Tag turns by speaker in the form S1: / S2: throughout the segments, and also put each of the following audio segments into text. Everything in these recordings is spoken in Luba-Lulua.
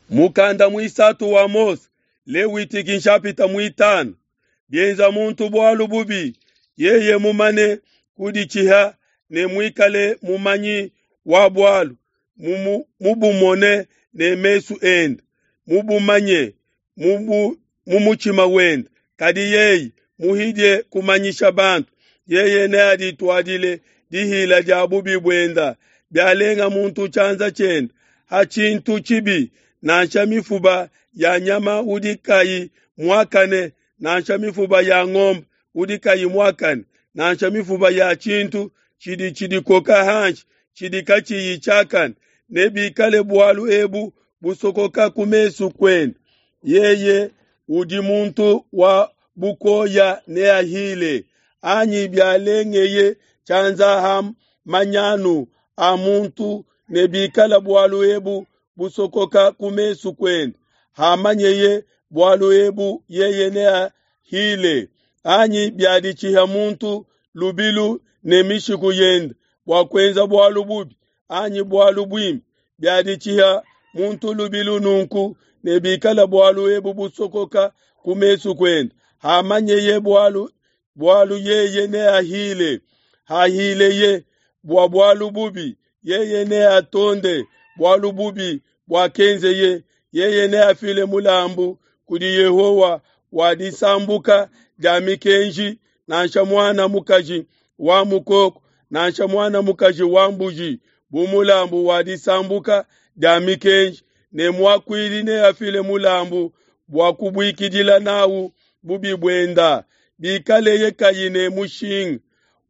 S1: Mukanda muisatu wa Mose, Lewitiki nshapita muitanu. Bienza muntu bualu bubi, yeye mumane kuditshiha ne muikale mumanyi wa bualu, mubumone ne mesu ende, mubumanye mu mutshima wende, kadi yeye muhidie kumanyisha bantu, yeye neadituadile dihila dia bubi buenda. Bialenga muntu tshianza tshiende ha tshintu tshibi, nansha mifuba ya nyama udi kayi muakane, nansha mifuba ya ngombe udi kayi muakane, nansha mifuba ya tshintu tshidi tshidikoka hanshi tshidi katshiyi tshiakane, nebikale bualu ebu busokoka ku mesu kuende. Yeye udi muntu wa bukoya neahile, anyi bialengeye tshianza ha manyanu a muntu, nebikale bualu ebu busokoka ku mesu kuende. Hamanyeye bualu ebu, yeye neahile, anyi biaditshiha muntu lubilu ne mishiku yende bua kuenza bualu bubi anyi bualu buimpe, biaditshiha muntu lubilu nunku, nebikale bualu ebu busokoka ku mesu kuende. Hamanyeye bualu bualu yeye neahile, hahileye bua bualu bubi, yeye neatonde bualu bubi buakenzeye, yeye neafile mulambu kudi Yehowa wa disambuka dia mikenji, nansha muana mukaji wa mukoko, nansha muana mukaji wa mbuji, bu mulambu wa disambuka dia mikenji, ne muakuidi neafile mulambu bua kubuikidila nawu bubi buenda. Bikaleye kayi ne mushinga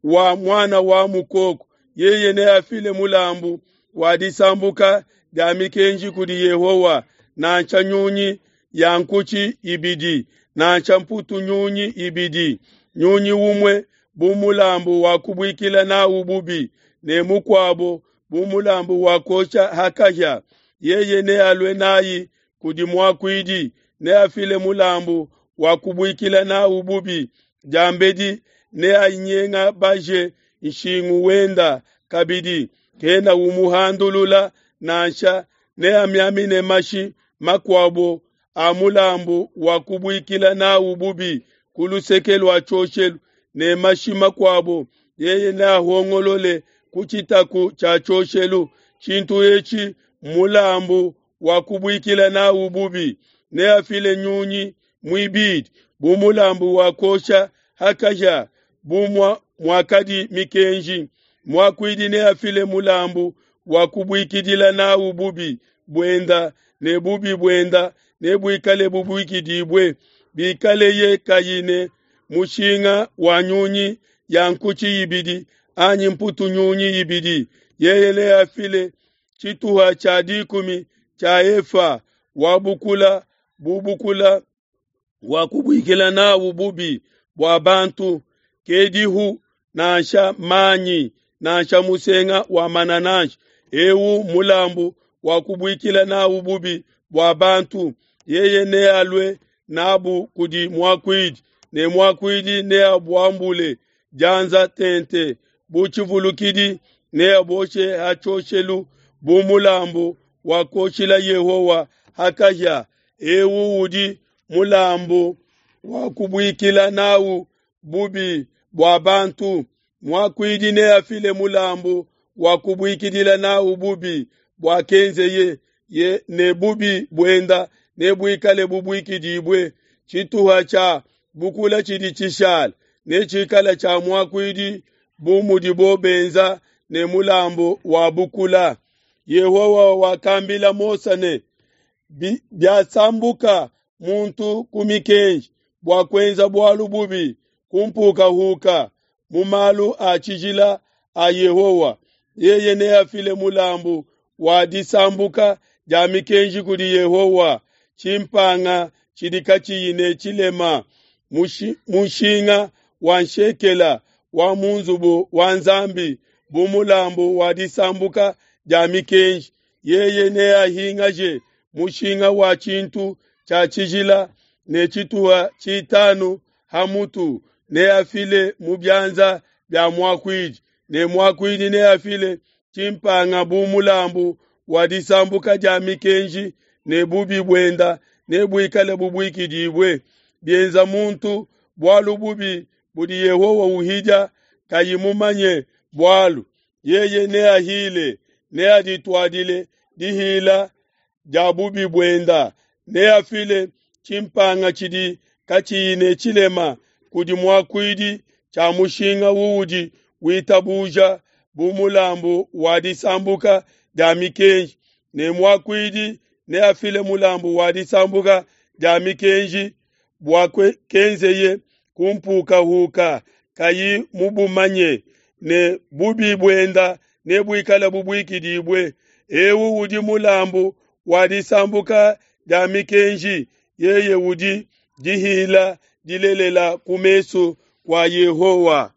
S1: wa muana wa mukoko, yeye neafile mulambu wa disambuka dia mikenji kudi Yehowa, nansha nyunyi ya nkutshi ibidi, nansha mputu nyunyi ibidi, nyunyi umue bu mulambu wa kubuikila nawu bubi, ne mukuabo bu mulambu wa kuosha ha kahia. Yeye nealue nayi kudi muakuidi, neafile mulambu wa kubuikila nawu bubi diambedi neanyengabaje nshingu wenda kabidi, kena umuhandulula nansha, neamiamine mashi makuabo a mulambu wa kubuikila nawu bubi ku luseke lua tshioshelu, ne mashi makuabo yeye neahongolole ku tshitaku tshia tshioshelu. Tshintu etshi mmulambu wa kubuikila nawu bubi. Neafile nyunyi muibidi bu mulambu wa kuosha ha kahia, bu muakadi mikenji. Muakuidi neafile mulambu wa kubuikidila nawu bubi buenda, ne bubi buenda nebuikale bubuikidibue. Bikaleye kayi ne mushinga wa nyunyi ya nkutshi ibidi anyi mputu nyunyi ibidi, yeye neafile tshituha tshia dikumi tshia efa wa bukula bu bukula wa kubuikila nawu bubi bua bantu, kedihu nansha manyi nansha musenga wa manananshi. Ewu mulambu wa kubuikila nawu bubi bua bantu. Yeye nealue nabu kudi muakuidi, ne muakuidi neabuambule dianza tente bu tshivulukidi, neaboshe ha tshioshelu bu mulambu wa kuoshila Yehowa ha kahia. Ewu udi mulambu wa kubuikila nawu bubi bua bantu. Muakuidi neafile mulambu wa kubuikidila nawu bubi buakenzeye, ye ne bubi buenda nebuikale bubuikidibue. Tshituha tshia bukula tshidi tshishala netshikale tshia muakuidi bu mudibo benza ne mulambu wa bukula. Yehowa wakambila Mose ne, biasambuka muntu ku mikenji bua kuenza bualu bubi kumpukahuka mu malu a tshijila a Yehowa, yeye neafile mulambu wa disambuka dia mikenji kudi Yehowa, tshimpanga tshidi katshiyi ne tshilema, mushinga wa nshekela wa mu nzubu wa Nzambi bu mulambu wa disambuka dia mikenji. Yeye neahingaje mushinga wa tshintu tshia tshijila ne tshituha tshitanu ha mutu, neafile mu bianza bia muakuidi, ne muakuidi neafile tshimpanga bu mulambu wa disambuka dia mikenji. ne bubi buenda nebuikale bubuikidibue. Bienza muntu bualu bubi budi Yehowa uhidia kayi mumanye bualu, yeye neahile, neadituadile dihila dia bubi buenda, neafile tshimpanga tshidi katshiyi ne tshilema kudi muakuidi tshia mushinga uudi witabuja bu mulambu wa disambuka dia mikenji, ne muakuidi neafile mulambu wa disambuka dia mikenji bua kenzeye ku mpukahuka kayi mubumanye, ne bubi buenda nebuikale bubuikidibue. Eu udi mulambu wa disambuka dia mikenji, yeye udi dihila dilelela ku mesu kua Yehowa.